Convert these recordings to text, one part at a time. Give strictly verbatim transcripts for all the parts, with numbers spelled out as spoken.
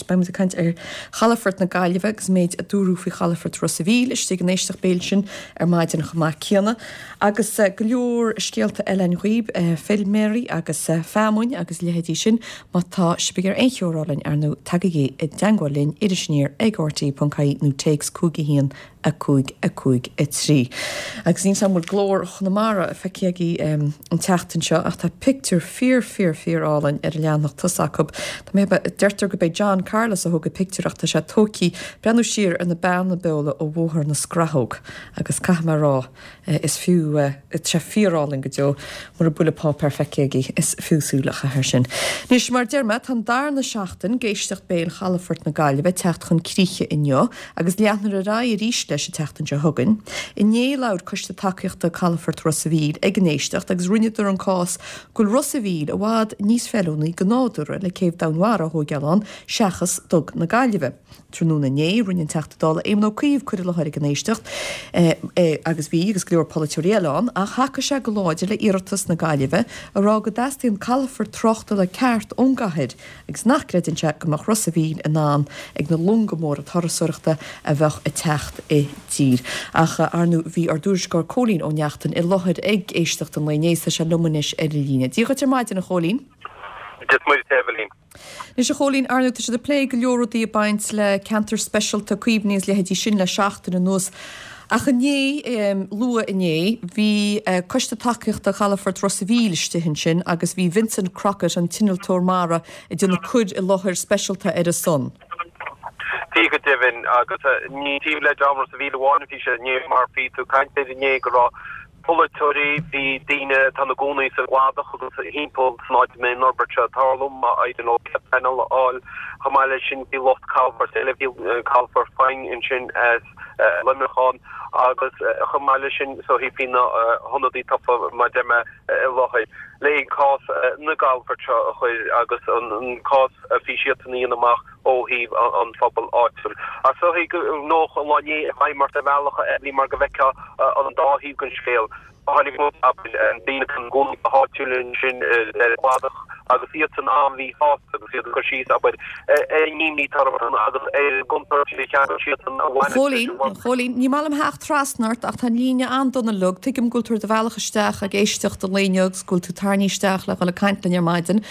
Beidh muid ag caint ar Chalafort na Gaillimhe agus méid a dúradh faoi Chalafort Ros a' Mhíl istigh an éisteacht béil sin ar maidin chomh maith céanna. Agus go leor scéalta eile againn dhaoibh, feilméaraí agus feamainn agus leithéidí sin má tá sibh ag iarraidh aon cheo a rá linn ar ndóigh tagaigí i dteagmháil linn Iris Aniar ag RTÉ ponc ie nó téacs cúig a haon a cúig a cúig a trí. Agus níl an bhfuil Glór Chonamara feicthe agaibh um, an tseachtain seo ach tá pictiúr fíor fíor fíor álainn ar an leathanach tosaigh acu. Tá mé deirtear gurb é John Carlos a thóg an pictiúr ach tá sé tógtha breathnú siar ar na Beanna Beola ó Bhóthar na Scrathóg agus caithfidh mé rá eh, is fiú eh, sé fíorálainn go deo mura bhfuil an páipéar feicthe agaibh is fiú súil a chaitheamh air sin. Anois mar deir mé tá an darna seachtain d'éisteacht béil Chalafort na Gaillimhe teacht chun críche inniu agus leanfar ar aghaidh arís leis an tseachtain seo chugainn. Inné labhair Coiste Tacaíochta Calafort Ros a' Mhíl ag an éisteacht agus rinneadar an cás go bhfuil Ros a' Mhíl i bhfad níos feiliúnaí go nádúrtha le céibh domhainmhara a thógáil ann seachas Dug na Gaillimhe. Tráthnóna inné rinne an Teachta Dála Éamon Ó Cuív cur i láthair ag an éisteacht eh, eh, agus bhí agus go leor polaiteoirí eile ann ach thacaigh sé go láidir le iarratas na Gaillimhe a rá go dteastaíonn calafort tráchtála ceart ón gcathair agus nach gcreideann sé go mbeadh Ros a' Mhíl in ann ag na longa móra turasóireachta a bheadh ag teacht i dtír. Ach ar ndóigh bhí ár dtuairisceoir Cóilín Ó Neachtain i láthair ag éisteacht an lae inné tá sé liom anois ar an líne. Dia dhuit ar maidin a Chóilín. Dia Anois a Chóilín ar ndóigh tá siad ag plé go leor rudaí ag baint le ceantar speisialta cuimhní is leithéidí sin le seachtain anuas. Ach inné um, luath inné bhí uh, coiste tacaíochta Chalafort Ros a' Mhíl istigh ansin agus bhí Vincent Crockett an t-innealtóir mara ag déanamh cur i láthair speisialta ar a son. Bhí go deimhin agus ní taobh le dream Ros a' Mhíl amháin bhí sé inné mar bhí tú ag caint inné go raibh polaiteoirí bhí daoine atá ina gcónaí sa gcladach agus timpeall san áit a mbeidh an fhorbairt seo ag tarlú má éiríonn leo cead pleanála a fháil chomh maith leis sin bhí lucht calafort eile bhí calafort Faing ansin as Luimneach ann agus chomh maith leis sin so bhí na hionadaithe tofa mar deir mé i láthair le cás na gcalafort seo a chur agus an cás a bhí siad in íon amach ó thaobh an phobal áitiúil. A so nó an lá inné mar a bhealach a mar go bhfeicfeá an dá thaobh den scéal. Tháinig daoine chun gún háitiúil sin le cladach agus iad san an-mhíshásta agus iad cur síos abair ar ní tar agus ar gontar siad an Chóilín Chóilín ní maith liom theacht trasna ort ach tá an líne an-dona liom tuigim go bhfuil tú ar do bhealach isteach ag éisteacht an lae inniu agus go bhfuil tú tarraingthe isteach le dhul ag caint linn ar maidin.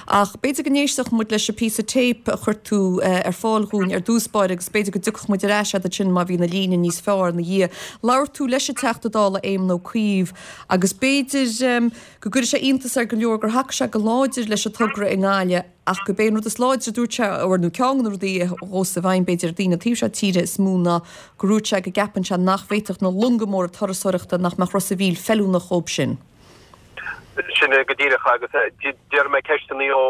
Ach b'fhéidir go n-éistfeadh muid leis an píosa téip a chuir tú ar fáil dhúinn ar dtús báire agus b'fhéidir go dtiocfadh muid ar ais agat sin má bhí na líne níos fearr ina dhiaidh. Labhair tú leis an Teachta Dála Éamon Ó Cuív agus b'fhéidir go gcuirfidh sé iontas ar go leor gur thacaigh sé go láidir leis an togra i nGaillimh ach gurb é an rud is láidre dúirt sé nó ceann de na rudaí a chuaigh i bhfeidhm b'fhéidir daoine taobh seo tíre is mó ná go ndúirt sé go gceapann sé nach bhféadfadh na longa móra turasóireachta nach mbeadh Ros a' Mhíl feiliúnach dóibh sin. Sin go díreach agus d'iarr mé ceisteanna ó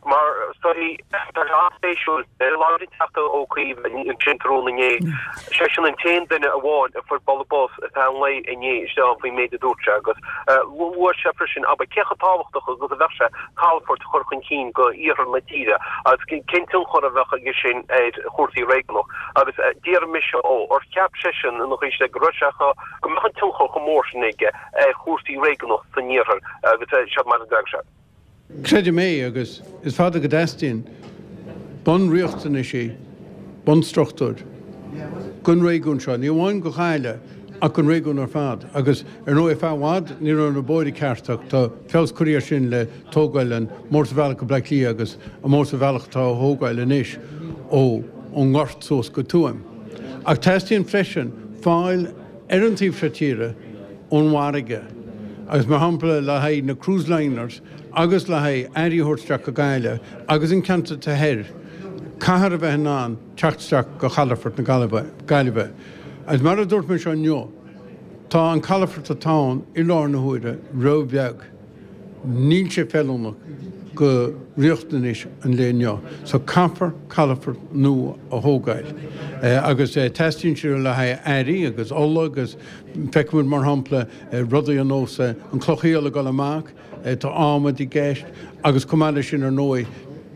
mar sorry tá an-spéisiúil labhair an Teachta Ó Cuív ansin tráthnóna inné. Sé sin an t-aon duine amháin a fuair bualadh bos atá an lae inné isteach faoin méid a dúirt sé agus luaigh sé freisin abair cé chomh tábhachtach agus a bheadh sé calafort a chur chun cinn go iarthar na tíre agus cén tionchar a bheadh aige sin ar chúrsaí réigiúnach agus d'iarr mise ó ar cheap seisean ina chuid go raibh sé go mbeadh an tionchar chomh mór sin aige ar chúrsaí réigiúnach san iarthar agus seo mar a d'fhreagair sé. Creidim é agus is fada go dteastaíonn bunriachtanaisí bunstruchtúr don réigiún seo, ní amháin go Gaillimh ach an réigiún ar fad, agus ar ndóigh i bhfad ní raibh na bóithre ceart ach tá feabhas curtha air sin le tógáil an Mótarbhealach go Bleá Cliath agus an Mótarbhealach atá á thógáil anois ó ón nGort suas go Tuaim. Ach teastaíonn freisin fáil ar an taobh seo tíre ón bhfarraige, agus mar shampla le haghaidh na cruise liners agus le haghaidh earraí a thabhairt isteach go Gaillimh agus an ceantar thoir, caithfear a bheith in ann teacht isteach go Chalafort na Gaillimhe. Agus mar a dúirt mé seo inniu, tá an calafort atá ann i láthair na huaire ró-bheag. Níl sé feiliúnach go riachtanais an lae inniu. So caithfear calafort nua a thógáil. Agus teastaíonn sé le haghaidh earraí agus ola agus feicimid mar shampla rudaí ar nós an Cloch Aola ag dul amach, tá adhmad i gceist agus chomh maith leis sin ar ndóigh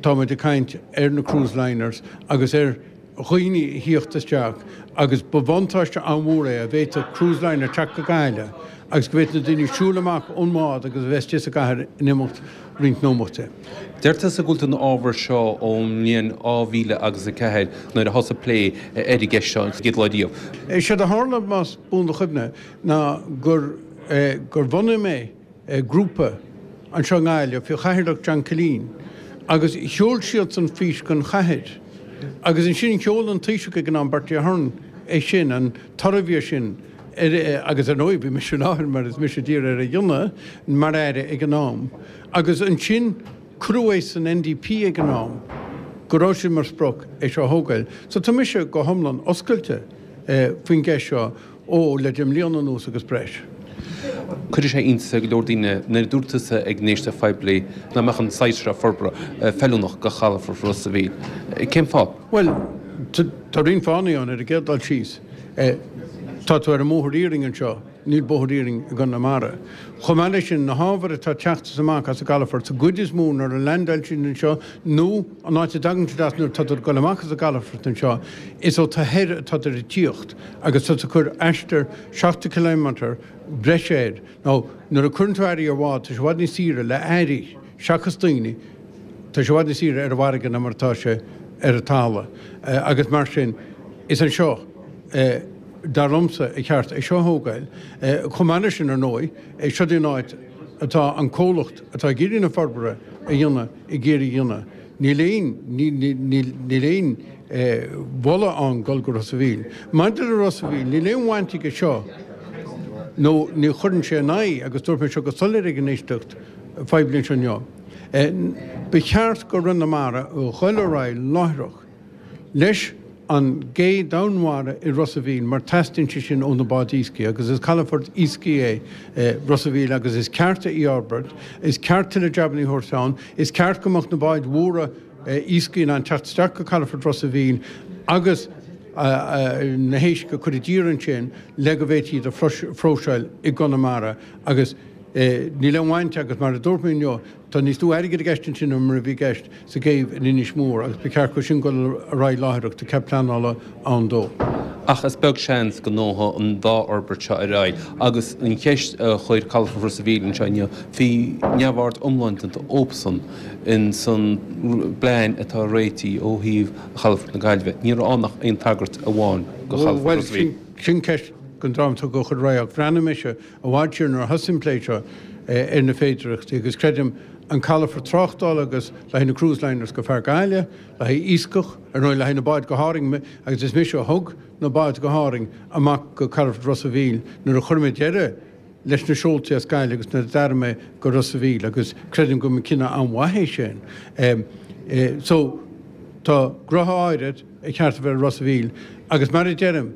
táimid ag caint ar na cruise liners agus ar dhaoine a thíocht isteach agus ba bhuntáiste an-mhór é dá bhféadfadh cruise liner teacht go Gaillimh agus go bhféadfadh na daoine siúl amach ón mbád agus a bheith istigh sa gcathair in imeacht roinnt nóimeataí. Deir tusa go bhfuil tú ina ábhar seo ón mbliain dhá mhíle agus a ceathair nuair a thosaigh plé ar an gceist seo an chéad lá riamh. Séard a tharla, más buan do chuimhne, ná gur gur bhunaigh mé grúpa anseo i nGaillimh faoi chathaoirleacht John Killeen agus sheol siadsan fís don chathair agus ansin sheol an Taoiseach ag an am, Bertie Ahern, é sin, an toradh a bhí air sin agus ar ndóigh bhí mise i láthair mar is mise a d'iarr air é a dhéanamh mar aire ag an am agus ansin cuireadh é san N D P ag an am go raibh sé mar sprioc é seo a thógáil. So tá mise go hiomlán oscailte faoin gceist seo ó le deich mbliana anuas agus breis. Cuirfidh sé iontas ar go leor daoine nuair a dúirt tusa ag an éisteacht phoiblí nach mbeadh an saghas seo forbartha feiliúnach do chalafort Ros a' Mhíl. Cén fáth? Bhuel, tá roinnt fáthanna ann. Ar an gcéad dul síos, tá tú ar an mbóthar iarainn anseo, níl bóthar iarainn i gConamara. Chomh maith leis sin, na hábhair atá ag teacht amach as an gcalafort, sa gcuid is mó nuair a landáil siad anseo nó an áit a dtagann siad as nuair atá ag dul amach as an gcalafort anseo, is ó taobh thoir atá ag tíocht agus tá tú ag cur aistear seachtó ciliméadar breise air. Nó nuair a chuireann tú earraí ar bhád, tá sé i bhfad níos saoire le earraí seachas daoine, tá sé i bhfad níos saoire ar an bhfarraige ná mar atá sé ar an talamh. Agus mar sin, is anseo, dar liomsa, ba cheart é seo a thógáil. Chomh maith leis sin, ar ndóigh, seo í an áit atá an comhlacht atá ag iarraidh na forbartha a dhéanamh ag iarraidh a dhéanamh. Níl aon, níl aon mholadh ann dul go Ros a' Mhíl. Maidir le Ros a' Mhíl, níl aon bhaint aige seo nó ní chuireann sé in aghaidh, agus dúirt mé seo go soiléir ag an éisteacht phoiblí anseo inniu, ba cheart go Chonamara a dhul ar aghaidh láithreach leis an gcé domhainmhara i Ros a' Mhíl mar teastaíonn sé sin ó na báid iascaigh agus is calafort iascaigh é Ros a' Mhíl agus is ceart é a fhorbairt, is ceart tuilleadh jabanna a thabhairt ann, is ceart go mbeadh na báid mhóra iascaigh in ann teacht isteach go calafort Ros a' Mhíl agus na héisc a chur i dtír ansin le go bhféadfaí iad a phróiseáil i gConamara agus níl aon bhaint agus mar a dúirt mé inniu, tá níos lú airgid i gceist ansin ná mar a bhí i gceist sa gcéibh in Inis Mór agus ba cheart dó sin dul ar aghaidh láithreach, tá cead pleanála ann dó. Ach is beag seans go ngabhfaidh an dá fhorbairt seo ar aghaidh agus an cheist a chuir Calafort Ros a' Mhíl anseo inniu, bhí neamhaird iomlán déanta dhóibhsan in san bplean atá réitithe ó thaobh Chalafort na Gaillimhe. Ní raibh ann ach aon tagairt amháin do Chalafort Ros a' Mhíl. Bhuel, sin ceist don dream atá ag cur ar aghaidh ach bhreathnaigh mise i bhfad siar nuair a thosaigh an plé seo ar na féidearthachtaí agus creidim an calafort tráchtála agus le haghaidh na cruise liners go fear Gaillimh, le haghaidh iascach, ar ndóigh le haghaidh na báid go hÁrainn agus is mise a thug na báid go hÁrainn amach go calafort Ros a' Mhíl nuair a chuir mé deireadh leis na seoltaí as Gaillimh agus nuair a d'athraigh mé go Ros a' Mhíl agus creidim go mba cinneadh an-mhaith é sin. So tá gnoithe áirid ar cheart a bheith i Ros a' Mhíl agus mar a deirim,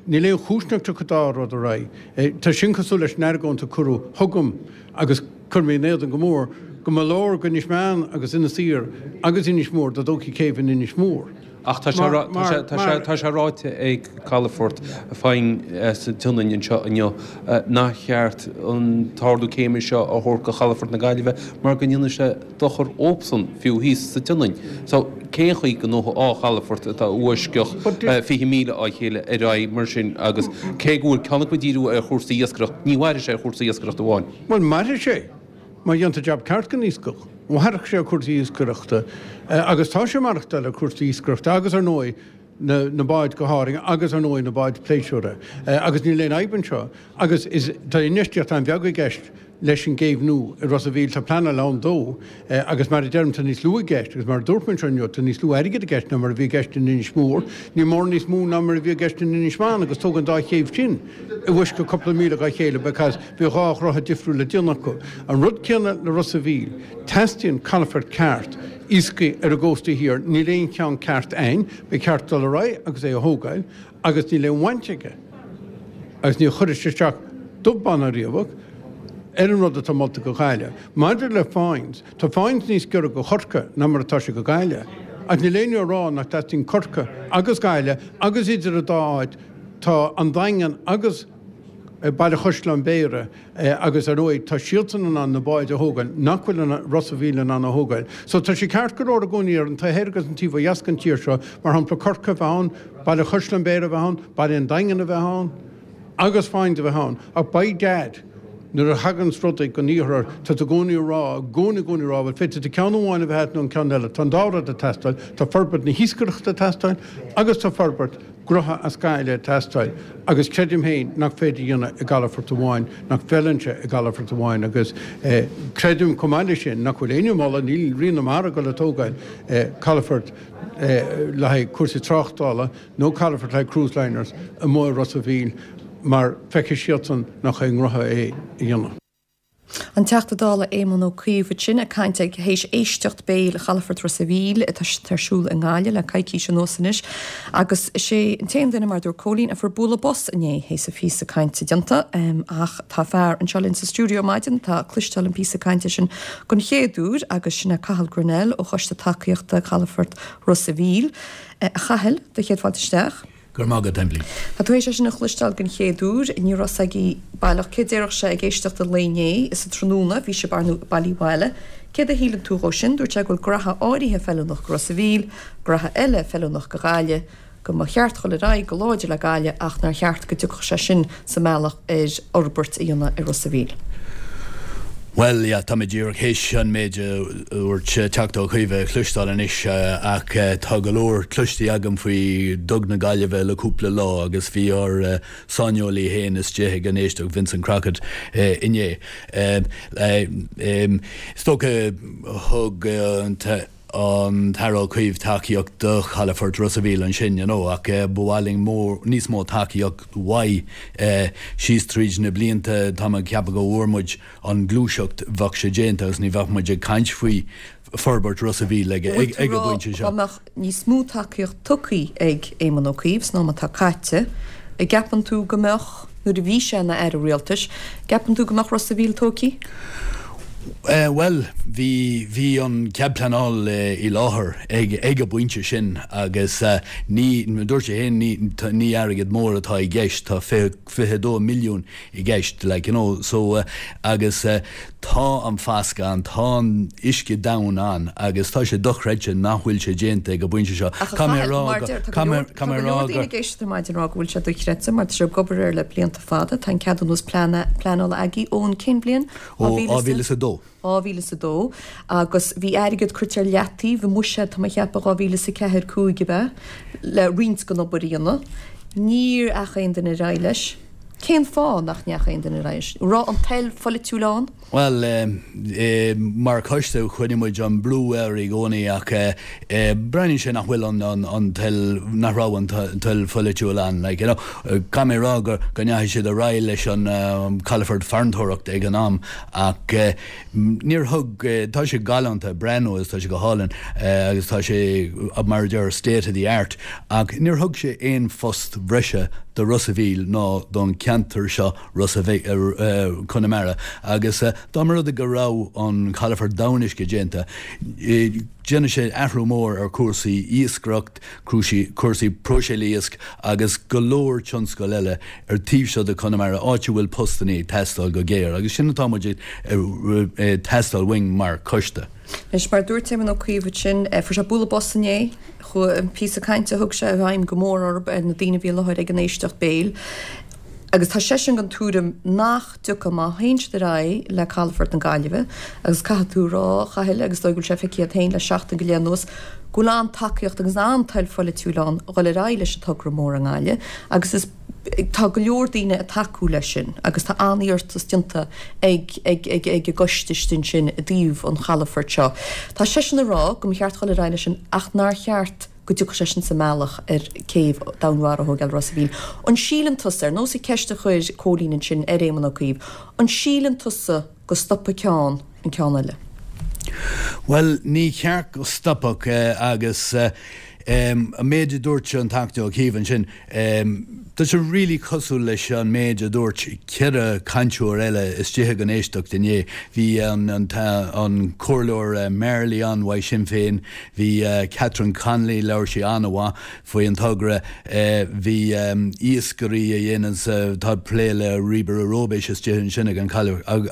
Níl aon chúis nach dtiocfaidh an dá rud ar aghaidh. Tá sin cosúil leis an argóint a cuireadh chugam agus chuir mé in éadan go mór, go mba leor go Inis Meáin agus Inis Oírr agus Inis Mór dá dtógfaí céibh in Inis Mór. Ach tá sé ráite ag Calafort Foynes sa tSionainn anseo inniu nach cheart an t-ardú céime seo a thabhairt do Chalafort na Gaillimhe mar go ndéanfaidh sé dochar dóibhsan fiú thíos sa tSionainn. So cén chaoi go ngabhfaidh dhá chalafort atá i bhfoisceacht fiche míle á chéile ar aghaidh mar sin agus cé go bhfuil ceann acu ag díriú ar chúrsaí iascaireachta, ní mhairfidh sé ar chúrsaí iascaireachta amháin. Bhuel, mairfidh sé má dhéantar jab ceart den iascach. Mhairfeadh sé ar chúrsaí iascaireachta agus tá sé ag maireachtáil ar chúrsaí iascaireachta agus ar ndóigh na na báid go hÁrainn agus ar ndóigh na báid pléisiúra agus níl aon fhadhb anseo agus is tá infheistíocht an-bheag i gceist leis an gcéibh nua i Ros a' Mhíl. Tá pleanáil ann dó agus mar a deirim tá níos lú i gceist agus mar a dúirt mé anseo inniu tá níos lú airgid i gceist ná mar a bhí i gceist in Inis Mór. Ní mór níos mó ná mar a bhí i gceist in Inis Meáin agus tógadh an dá chéibh sin i bhfoisceacht cúpla míle dhá chéile because bhí dhá ghnoithe difriúil le déanamh acu. An rud céanna le Ros a' Mhíl. Teastaíonn calafort ceart iascaigh ar an gcósta thiar. Níl aon cheann ceart ann. Ba cheart dul ar aghaidh agus é a thógáil agus níl aon bhaint aige agus ní chuirfidh sé isteach dubh bán ná riabhach ar an rud atá molta go Gaillimh. Maidir le Foynes, tá Foynes níos giorra go Chorcaigh ná mar atá sé go Gaillimh. Ach níl éinne ag rá nach dteastaíonn Corcaigh agus Gaillimh agus idir an dá áit tá an Daingean agus Baile Chaisleáin Bhéarra agus ar ndóigh tá siadsan in ann na báid a thógáil nach bhfuil Ros a' Mhíl in ann a thógáil. So tá sé ceart go leor i gcónaí ar an taobh thoir agus an taobh ó dheas den tír seo, mar shampla Corcaigh a bheith ann, Baile Chaisleáin Bhéarra a bheith ann, Baile an Daingin a bheith ann. agus fáin a bheith ann, ach by dad, nuair a thaganns rudaí go n-iarthar, tá tú i gcónaí ag rá, i gcónaí, i gcónaí ag rá, bhuel, féadfaidh tú ceann amháin a bheith agat nó an ceann eile, tá an dá rud ag teastáil, tá forbairt na hiascaireachta ag teastáil agus tá forbairt gnótha as Gaillimh ag teastáil agus creidim féin nach féidir a dhéanamh i gcalafort amháin, nach bhfeileann sé i gcalafort amháin agus creidim chomh maith leis sin nach bhfuil éinne ag moladh, níl Rian na Mara ag dul ag tógáil calafort le haghaidh cúrsaí tráchtála nó calafort le haghaidh cruise liners amuigh i Ros a' Mhíl. mar feicfidh siadsan nach é an rogha é a dhéanamh. An Teachta Dála Éamon Ó Cuív ansin ag caint ag théis éisteacht béil Chalafort Ros a' Mhíl atá ar siúl i nGaillimh le coicís anuas anois agus is é an t-aon duine mar dúirt Cóilín a fuair bualadh bos inné théis a phíosa cainte déanta ach tá fear anseo linn sa stiúideo ar maidin atá ag cloisteáil an píosa cainte sin don chéad uair agus sin é Cathal Grennell ó Choiste Tacaíochta Chalafort Ros a' Mhíl. A Chathail, do chéad fáilte isteach. Go raibh maith agat, Emily. Tá tú théis é sin a chloisteáil den chéad uair, ní raibh 's agaí baileach céard déarfadh sé ag éisteacht an lae inné is sa tráthnóna, bhí sibh ar ndóigh bailithe abhaile. Céard a shíleann tú dhó sin? Dúirt sé go bhfuil graithe áirithe feiliúnach go Ros a' Mhíl, graithe eile feiliúnach go Gaillimh, go mba cheart dhul ar aghaidh go láidir le Gaillimh ach nár cheart go dtiocfadh sé sin sa mbealach ar fhorbairt a dhéanamh ar Ros a' Mhíl. Bhuel, yeah, tá mé díreach théis an méid a dúirt Teachta Ó Cuív a chloisteáil anois ach tá go leor cloiste agam faoi Dug na Gaillimhe le cúpla lá agus bhí ár saineolaí féin istigh ag an éisteacht, Vincent Crockett, inné. Is dócha thug an an tAire Ó Cuív tacaíocht do Chalafort Ros a' Mhíl ansin, you know, ach ba mhaith linn mór, níos mó tacaíocht uaidh síos tríd na blianta. Tá mé ag ceapadh go bhfuair muid an ghluaiseacht, bheadh sé déanta agus ní bheadh muid ag caint faoi forbairt Ros a' Mhíl ag Bhfuil ag tú an rá bpointe dá seo. mbeadh níos mó tacaíocht tugtha ag Éamon Ó Cuív san am atá caite, an gceapann tú go mbeadh, nuair a bhí sé ina Aire Rialtais, gceapann tú go mbeadh Ros a' Mhíl tógtha? Bhuel, bhí, bhí an cead pleanála i láthair ag, ag an bpointe sin agus ní, dúirt sé féin, ní, ní airgead mór atá i gceist, tá fiche, fiche dó milliún i gceist, like, you know, so agus tá an fasc ann, tá an uisce domhain ann agus tá sé dochreidte nach bhfuil sé déanta ag an bpointe seo. Ach a Caithfidh mé a Chathail, rá mar go, deir, tá go caithfidh mé, leor, tá caithfidh mé go a leor rá daoine go, ag éisteacht ar maidin ag rá go bhfuil sé dochreidte mar tá sibh ag obair air le blianta fada, tá an ceadúnas pleanála agaibh ón cén bhliain? Ó dhá mhíle is a dó. dhá mhíle is a dó agus bhí airgead curtha ar leataobh i mbuiséad, tá mé ag ceapadh dhá mhíle is a ceathair, cúig ab ea, le roinnt den obair a dhéanamh. Níor dheachaigh aon duine ar aghaidh leis. Cén fáth nach ndeachaigh aon duine ar aghaidh leis? An raibh an toil pholaitiúil ann? Bhuel, mar choiste choinnigh muid an brú air i gcónaí ach breathnaíonn sé nach bhfuil an toil, nach raibh an toil pholaitiúil ann. Like, you know, caithfidh mé a rá go ndeachaigh siad ar aghaidh leis an calafort farantóireachta ag an am ach níor thug, tá sé galánta breathnú agus tá sé go hálainn agus tá sé mar a deir state of the art ach níor thug sé aon phost bhreise do Ros a' Mhíl ná don cheantar seo Ros a' Mhíl, Conamara agus dá mba rud é go raibh an calafort domhainuisce déanta, déanfaidh sé athrú mór ar chúrsaí iascaireacht, cúrsaí próiseáil iasc agus go leor tionscal eile ar taobh seo de Chonamara, áit a bhfuil postannaí ag teastáil go géar agus sin atá muid ag teastáil uainn mar choiste. Anois, mar a dúirt Éamon Ó Cuív ansin, fuair sé bualadh bos inné, chuaigh an píosa cainte a thug sé i bhfeidhm go mór orthu, ar na daoine a bhí i láthair ag an éisteacht béil. Agus tá seisean den tuairim nach dtiocfaidh má théann siad ar aghaidh le Calafort na Gaillimhe, agus caithfidh tú a rá, a Chathail, agus is dóigh go bhfuil sé feicthe agat féin le seachtain go leith anuas, go bhfuil an-tacaíocht agus an-toil pholaitiúil ann dhul ar aghaidh leis an togra mór i nGaillimh agus is tá go leor daoine ag tacú leis sin agus tá an-iarratas déanta ag ag ag ag an gcoiste istigh ansin i dtaobh an chalafoirt seo. Tá seisean ag rá go mba cheart dhul ar aghaidh leis sin ach nár cheart go dtiocfadh sé sin sa mbealach ar céibh domhainmhara a thógáil Ros a' Mhíl. An síleann tusa, ar nós an ceist a chuir Cóilín ansin ar Éamon Ó Cuív, an síleann tusa go stopfaidh ceann an ceann eile? Bhuel, ní cheart go stopfadh agus an méid a dúirt an Teachta Ó Cuív ansin, tá sé really cosúil leis an méid a dúirt ceithre cainteoir eile istigh ag an éisteacht inné. Bhí an an Comhairleoir Marley ann uaidh Sinn Féin, bhí Catherine Connolly, labhair sí an-mhaith faoi an togra, bhí iascairí a dhéanann, atá ag plé le ríobaire róibéis istigh ansin ag an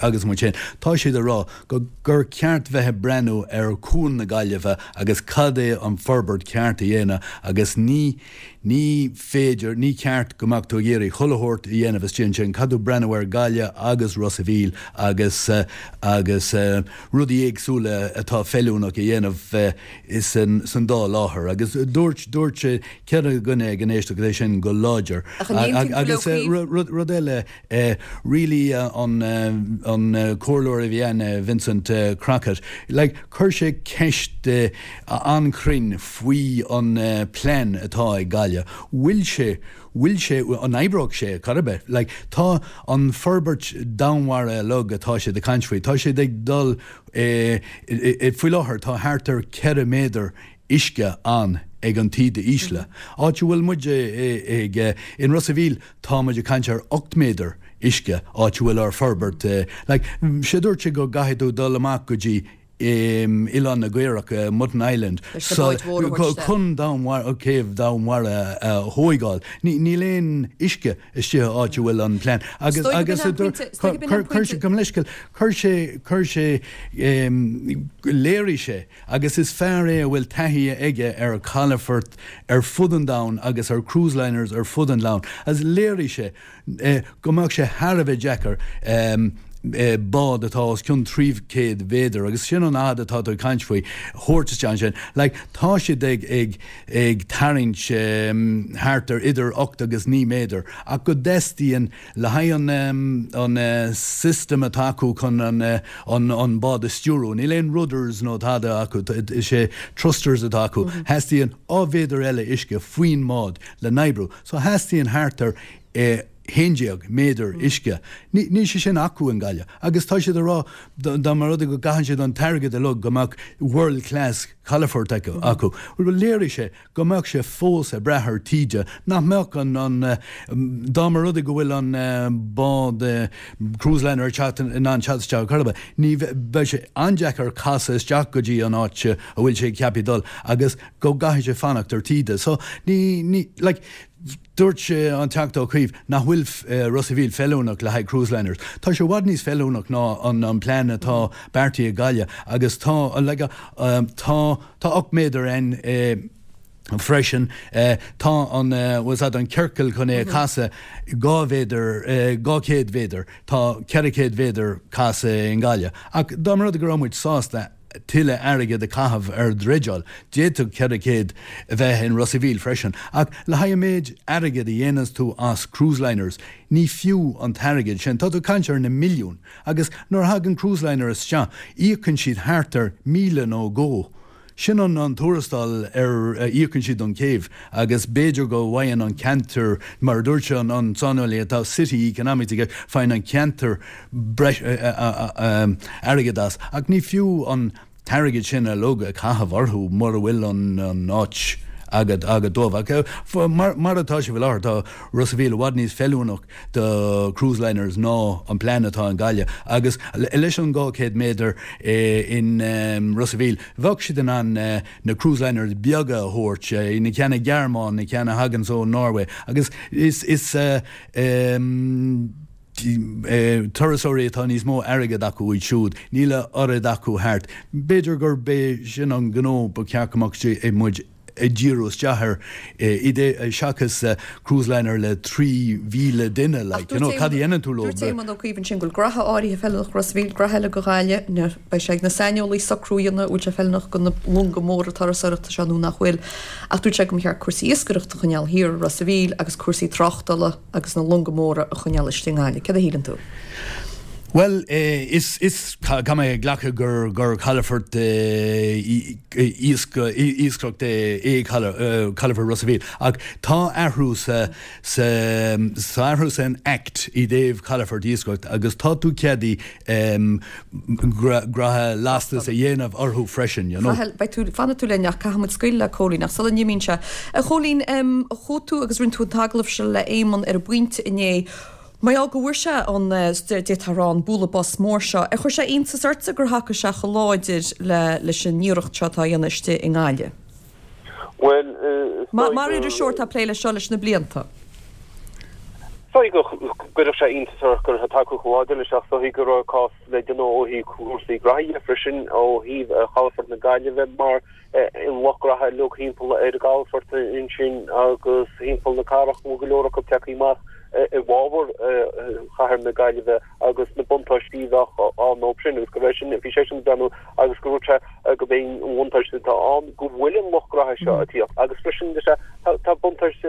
agus muid féin. Tá siad ag rá go gur ceart bheith ag breathnú ar Chuan na Gaillimhe agus cad é an forbairt ceart a ceart a dhéanamh agus ní ní féidir, ní ceart go mbeadh tú ag iarraidh chuile shórt a dhéanamh istigh ansin, caithfidh tú breathnú ar Gaillimh agus Ros a' Mhíl agus agus rudaí éagsúla atá feiliúnach a dhéanamh san san dá láthair agus dúirt dúirt ceithre dhuine ag an éisteacht é sin go láidir. Ach an aontaíonn tú leo Agus rud rud eile really an an comhairleoir a bhí ann Vincent Crockett like chuir sé ceist an-chruinn faoi an plean atá ag Gaillimh. Bhfuil sé, bhfuil sé, an oibreoidh sé chor ar bith? Like, tá an forbairt domhainmhara uilig atá siad ag caint faoi, tá siad ag dul, faoi láthair tá thart ar ceithre méadar uisce ann ag an taoide ísle. Áit a bhfuil muid ag, in Ros a' Mhíl tá muid ag caint ar ocht méadar uisce áit a bhfuil ár forbairt, like, sé dúirt sé go gcaithfidh tú dul amach go dtí Oileán na gCaorach, Mutton Island, chun céibh domhainmhara a thóigeáil. Níl aon uisce istigh áit a bhfuil an plean. Agus agus chuir sé, gabh mo leithscéal, chuir sé, chuir sé, léirigh sé, agus is fear é a bhfuil taithí aige ar chalafort ar fud an domhain agus ar cruise liners ar fud an domhain, agus léirigh sé go mbeadh sé thar a bheith deacair bád atá os cionn trí chéad mhéadar, agus sin an fhad atá tú ag caint faoi, thabhairt isteach ansin. Like, tá siad ag, ag, ag tarraingt thart ar idir ocht agus naoi méadar, ach go dteastaíonn le haghaidh an, an system atá acu chun an, an, an bád a stiúrú, níl aon rudders nó tada acu, is é thrusters atá acu, theastaíonn dhá mhéadar eile uisce faoin mbád le n-oibriú. So theastaíonn thart ar eh, haon déag méadar uisce. Níl sé sin acu in Gaillimh. Agus tá siad ag rá dá mba rud é go gcaitheann siad an t-airgead uilig go mbeadh world class calafort acu. Bhuel léirigh sé go mbeadh sé fós ag brath ar taoide, nach mbeadh an, an, dá mba rud é go bhfuil an bád cruise liner ag teacht, in ann teacht isteach ar chor ar bith, ní bheidh sé an-deacair casadh isteach go dtí an áit a bhfuil sé ceaptha dul agus go gcaithfidh sé fanacht ar taoide. So ní, ní, like, Dúirt an Teachta Ó Cuív nach bhfuil Ros a' Mhíl feiliúnach le haghaidh cruise liners. Tá sé i bhfad níos feiliúnach ná an plean atá beartaithe ag Gaillimh agus tá tá tá ocht méadar ann freisin. Tá an bhfuil an ciorcal chun é a chasadh dhá mhéadar dhá chéad mhéadar. Tá ceithre chéad mhéadar casadh i nGaillimh. Ach dá mba rud é go raibh muid sásta tuilleadh airgid a chaitheamh ar dhreideáil. D'fhéadfadh ceithre chéad a bheith in Ros a' Mhíl freisin. Ach le haghaidh an méid airgid a dhéanas tú as cruise liners, ní fiú an t-airgead sin. Tá tú ag caint ar na milliúin. Agus nuair a thagann cruise liner isteach, íocann siad thart ar míle nó dhó. Sin an an tuarastal ar a íocann siad don chéibh. Agus b'fhéidir go bhfaigheann an ceantar, mar a dúirt an an saineolaí atá city economics aige, faigheann an ceantar breis airgead as. Ach ní fiú an t-airgead sin uilig a chaitheamh orthu mura bhfuil an an áit agat agat dóibh. Ach mar mar atá sé faoi láthair, tá Ros a' Mhíl i bhfad níos feiliúnach do cruise liners ná an plean atá in Gaillimh. Agus leis an dhá chéad méadar in Ros a' Mhíl, bheadh siad in ann na cruise liners beaga a thabhairt, na ceanna Gearmáin, na ceanna a thaganns ó Norway. Agus is is turasóirí atá níos mó airgead acu iad siúd, níl a oiread acu thart. B'fhéidir gurb é sin an gnó ba cheart go mbeadh muid ag díriú isteach air seachas cruise liner le trí mhíle duine, like, you know, cad a dhéanann tú leo? Dúirt Éamon Ó Cuív ansin go bhfuil graithe áirithe feiliúnach Ros a' Mhíl, graithe eile go Gaillimh, beidh sé ag na saineolaí socrú a dhéanamh an bhfuil sé feiliúnach do na longa móra turasóireachta seo nó nach bhfuil. Ach dúirt sé go mba cheart cúrsaí iascaireachta a choinneáil thiar i Ros a' Mhíl agus cúrsaí tráchtála agus na longa móra a choinneáil istigh i nGaillimh. Céard a shíleann tú? Bhuel, is, is, caithfidh mé glacadh gur, gur calafort iascaireachta é calafort Ros a' Mhíl. Ach tá athrú sa, sa, tá athrú san Act i dtaobh calafort iascaireachta agus tá tú ceadaithe graithe lastais a dhéanamh orthu freisin, you know. Chathail, beidh tú, fanfaidh tú linn ach caithfidh muid scaoileadh le Cóilín ach sula n-imíonn sé. A Chóilín, chuaigh tú agus rinne tú an t-agallamh seo le Éamon ar an bPointe inné. Mar gheall go bhfuair sé an, d'fhéadfá a rá, an bualadh bos mór seo, ar chuir sé iontas ortsa gur thacaigh sé chomh láidir le leis an iarracht seo atá á dhéanamh istigh i nGaillimh? Bhuel, is dóigh Mar gur. iriseoir atá ag plé leis seo leis na blianta. Is dóigh go gcuirfeadh sé iontas ort go raibh tacú chomh láidir leis ach is dóigh go raibh cás le déanamh ó thaobh cúrsaí graithí freisin ó thaobh chalafort na Gaillimhe mar an lucht graithe uilig thimpeall ar an gcalafort ansin agus thimpeall na cathrach go bhfuil go leor acu tagtha amach i bhfabhar chathair na Gaillimhe agus na buntáistí a bheadh ann dóibh sin agus go raibh sin bhí seisean ag breathnú agus go dúirt sé go b'é an bhuntáiste atá ann go bhfuil an lucht graithe seo ag tíocht agus freisin tá buntáiste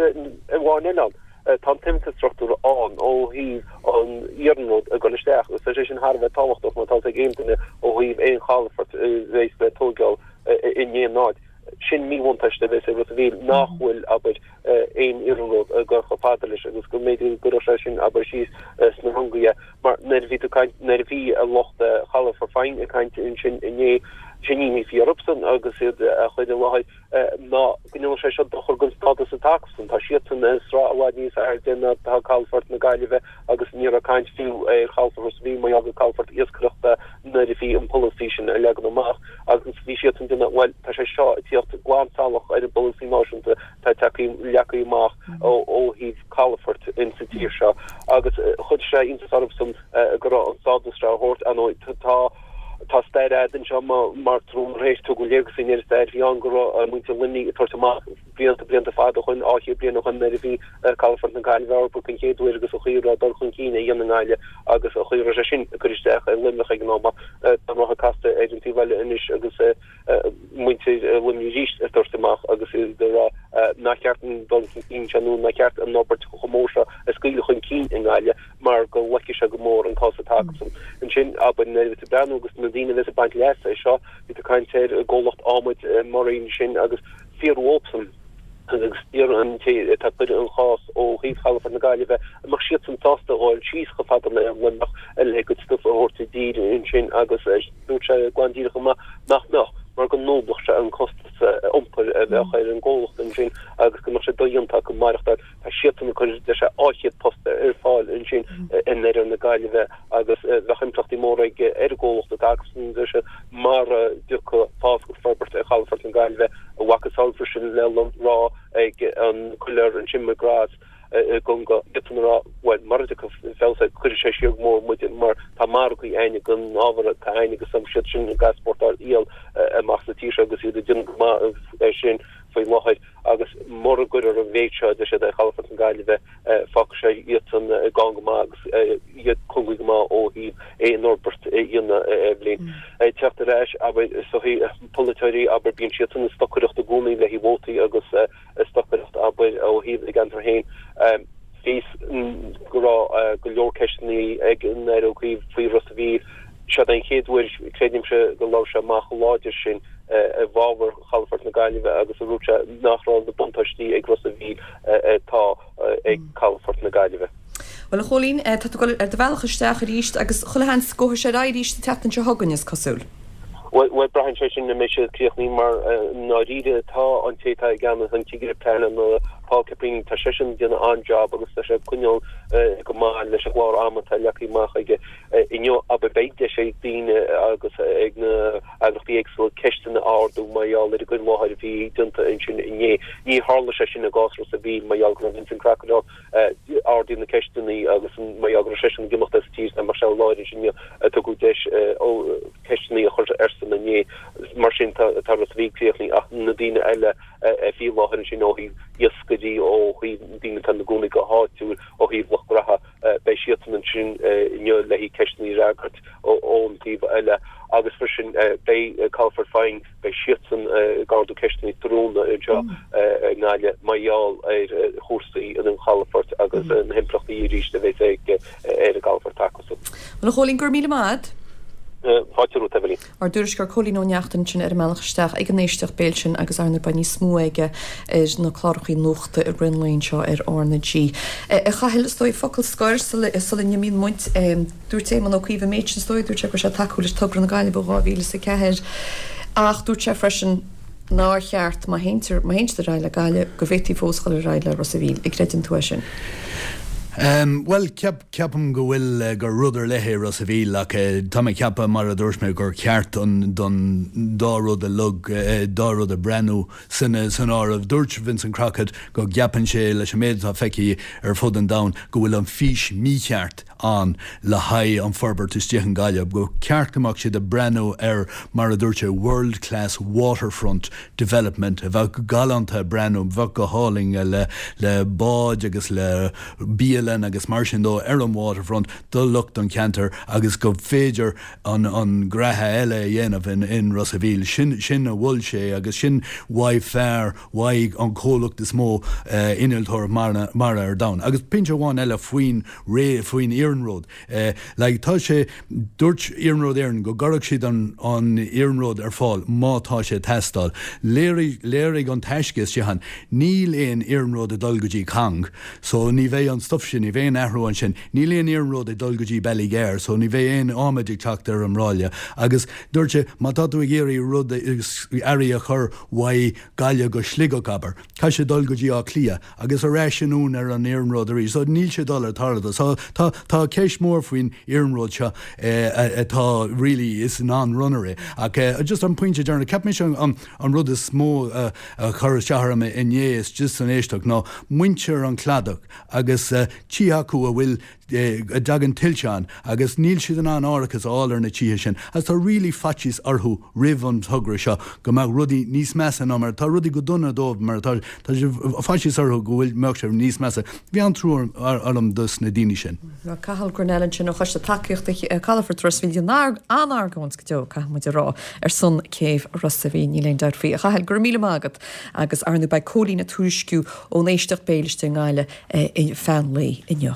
amháin eile ann. Tá an t-infreastruchtúr ann ó thaobh an iarnróid ag dul isteach agus tá sé sin thar a bheith tábhachtach má tá ag aon duine ó thaobh aon chalafort a bheas le tóigeáil in aon áit. Sin míbhuntáiste a bheas ag Ros a' Mhíl nach bhfuil, abair, aon iarnród ag dul chomh fada leis agus go mb'fhéidir go gcuirfeadh sé sin, abair, síos sna rungaí é. Mar nuair a bhí tú ag caint, nuair a bhí lucht chalafort Faing ag caint ansin inné, sin imní a bhí orthusan agus iad á chur i láthair ná go ndéanfadh sé seo dochar don stádas atá acusan. Tá siadsan i sraith i bhfad níos airde ná atá calafort na Gaillimhe agus ní raibh caint fiú ar chalafort Ros a' Mhíl mar gheall gur calafort iascaireachta nuair a bhí an polasaí sin á leagan amach agus bhí siadsan ag déanamh bhuel tá sé seo ag tíocht glan salach ar an bpolasaí náisiúnta atá tagtha leagtha amach ó thaobh calafort in sa tír seo agus chuir sé iontas orthusan go raibh an stádas seo á thabhairt. Ar ndóigh tá Tá stair fhada anseo mar tar éis tugadh léargas ar an stair a bhí ann go raibh muintir Luimnigh ag tabhairt amach blianta, blianta fada ó shoin, dhá chéad bliain ó shoin nuair a bhí calafort na Gaillimhe á fhorbairt den chéad uair agus an chaoi a raibh dul chun cinn á dhéanamh i nGaillimh agus an chaoi a raibh sé sin ag cur isteach ar Luimneach ag an am. Tá an rotha casta ar an taobh eile anois agus muintir Luimnigh arís ag tabhairt amach agus iad ag rá nár cheart an dul chun cinn seo nó nár cheart an fhorbairt chomh mór seo a scaoileadh chun cinn i nGaillimh mar go loicfidh sé go mór an cás atá acusan. Ansin, abair, nuair a bhí tú ag breathnú agus na daoine a bheas ag baint leasa as seo, bhí tú ag caint ar an gcomhlacht adhmaid Murrain sin agus fiafraíodh dhóibhsan agus d'iarr an té atá ag cur an chás ó thaobh chalafort na Gaillimhe an mbeadh siadsan sásta a dhul síos chomh fada le Luimneach le a gcuid stuif a thabhairt i dtír ansin agus dúirt sé glan díreach amach nach mbeadh mar go ndúblódh sé an costas iompair a bheadh ar an gcomhlacht ansin agus go mbeadh sé dodhéanta acu maireachtáil. Tá siadsan ag cur deir sé dhá chéad post ar fáil ansin in oirthear na Gaillimhe agus bheadh impleachtaí móra aige ar an gcomhlacht atá acusan, deir sé, mara dtiocfadh fás agus forbairt ar chalafort na Gaillimhe, a mhacasamhail freisin le rá ag an gcoiléar ansin McGrath i gConga, iadsan ag rá, bhuel, mara dtiocfaidh feabhas air, cuirfidh sé siar go mór muid mar tá margaí againn don ábhar atá againn agus tá siad sin ag easpórtáil iall amach as an tír seo agus iad ag déanamh go maith air sin faoi láthair agus mura gcuirfear an mhéid seo, deir siad, ar chalafort na Gaillimhe, fágfaidh sé iadsan gann go maith agus iad cúngaí go maith ó thaobh aon fhorbairt a dhéanamh ar bhliain. Ag teacht ar ais, abair, is dóichí, polaiteoirí, abair, bíonn siadsan ag stocaireacht i gcónaí le haghaidh vótaí agus ag stocaireacht, abair, ó thaobh a gceantar féin. Bhí fhios go raibh go leor ceisteanna ag an Aire Ó Cuív faoi Ros a' Mhíl. Seod é an chéad uair, creidimse, go labhair sé amach chomh láidir sin i bhfabhar chalafort na Gaillimhe agus a dúirt sé nach raibh na buntáistí ag Ros a' Mhíl atá ag calafort na Gaillimhe. Bhuel, a Chóilín, tá tú ag dul ar do bhealach isteach arís agus chuile sheans go gabhfaidh sé ar aghaidh arís an tseachtain seo chugainn, is cosúil. Bhuel, braitheann sé sin an mbeidh siad críochnaithe mar i ndáiríre tá an té atá i gceannas, an cigire pleanála Paul Caprini, tá seisean ag déanamh an-jab agus tá sé ag coinneáil go maith leis an gclár ama atá leagtha amach aige. Inniu, abair, beidh deis ag daoine agus ag na heagraíochtaí éagsúla ceisteanna a ardú mar gheall ar an gcur i láthair a bhí déanta ansin inné. Ní tharla sé sin i gcás Ros a' Mhíl mar gheall go raibh Vincent Crocodile ardaíodh na ceisteanna agus mar gheall go raibh seisean ag imeacht as an tír dá mbeadh sé i láthair ansin inniu tugadh deis ceisteanna a chur airsean inné. Mar sin tá Ros a' Mhíl críochnaithe ach na daoine eile a bhí i láthair ansin ó thaobh iascairí, ó thaobh daoine atá ina gcónaí go háitiúil, ó thaobh lucht graithe, beidh siadsan ansin inniu le haghaidh ceisteanna a fhreagairt ón taobh eile agus freisin beidh Calafort Faing, beidh siadsan ag ardú ceisteanna tráthnóna anseo i nGaillimh mar gheall ar chúrsaí an chalafoirt agus na himpleachtaí arís a bheas ag ar an gcalafort acusan. Bhuel, a Chóilín, go raibh míle maith agat. Fáilte romhat, Eibhlín. Ár dtuairisceoir Cóilín Ó Neachtain ansin ar an mbealach isteach ag an éisteacht béil sin agus ar ndóigh beidh níos mó aige ar na clárachaí nuachta i rith an lae anseo ar R na G. A Chathail, is dóigh focal scoir sula n-imíonn muid. Dúirt Éamon Ó Cuív an méid sin is dóigh, dúirt sé go raibh sé ag tacú leis togra na Gaillimhe ó dhá mhíle is a ceathair ach dúirt sé freisin nár cheart, má théann má théann siad ar aghaidh le Gaillimh, go bhféadfaí fós dul ar aghaidh le Ros a' Mhíl. An gcreideann tú é sin? Bhuel, ceapaim go bhfuil gur rud ar leith é Ros a' Mhíl ach tá mé ag ceapadh, mar a dúirt mé, gur ceart don dá rud a lug, dá rud a breathnú san áireamh. Dúirt Vincent Crockett go gceapann sé, leis an méid atá feicthe ar fud an domhain, go bhfuil an fís mícheart ann le haghaidh an forbairt istigh i nGaillimh, go ceart go mbeadh siad ag breathnú ar, mar a dúirt sé, world class waterfront development a bheadh galánta ag breathnú, bheadh go hálainn le le báid agus le bialann agus mar sin dó ar an waterfront do lucht an cheantair agus go féidir an an graithe eile a dhéanamh in in Ros a' Mhíl. Sin sin a mhol sé agus sin uaidh fear uaidh an comhlacht is mó innealtóireacht mara mara ar domhan. Agus pointe amháin eile faoin ré faoin iarnród. Like tá sé dúirt Iarnród Éireann go gcuirfeadh siad an an iarnród ar fáil má tá sé ag teastáil. Léirigh léirigh an taisce istigh ann níl aon iarnród ag dul go dtí Cong so ní bheidh an stuff sin, ní bheidh aon athrú ansin. Níl aon iarnród ag dul go dtí Ballygar so ní bheidh aon adhmaid ag teacht ar an mbráille. Agus dúirt sé má tá tú ag iarraidh rud earraí a chur uaidh Gaillimh go Sligeach abair, caithfidh sé dul go dtí Áth Cliath agus ar ais anonn ar an iarnród arís. So níl sé dul ar tarlú. So tá tá ceist mhór faoin iarnród seo atá really is non-runner é. Ach just an pointe deireanach, cheap mise an an rud is mó a chuir isteach orm inné istigh san éisteacht ná muintir an Chladach agus tithe acu a bhfuil a dtagann tuilte ann agus níl siad in ann árachas a fháil ar na tithe sin agus tá really faitíos orthu roimh an togra seo go mbeadh rudaí níos measa ná mar atá rudaí go dona dóibh mar atá tá faitíos orthu go bhfuil mbeadh sé níos measa. Bhí an-trua orm dos na daoine sin. Tá Cathal Grennell ansin ó Choiste Tacaíochta Chalafort Ros a' Mhíl an-argóint go deo, caithfidh muid a rá, ar son céibh Ros a' Mhíl, níl aon dabht faoi. A Chathail, go raibh míle maith agat agus ar ndóigh beidh Cóilín ag tuairisciú ón éisteacht béil istigh i nGaillimh feadh an lae inniu.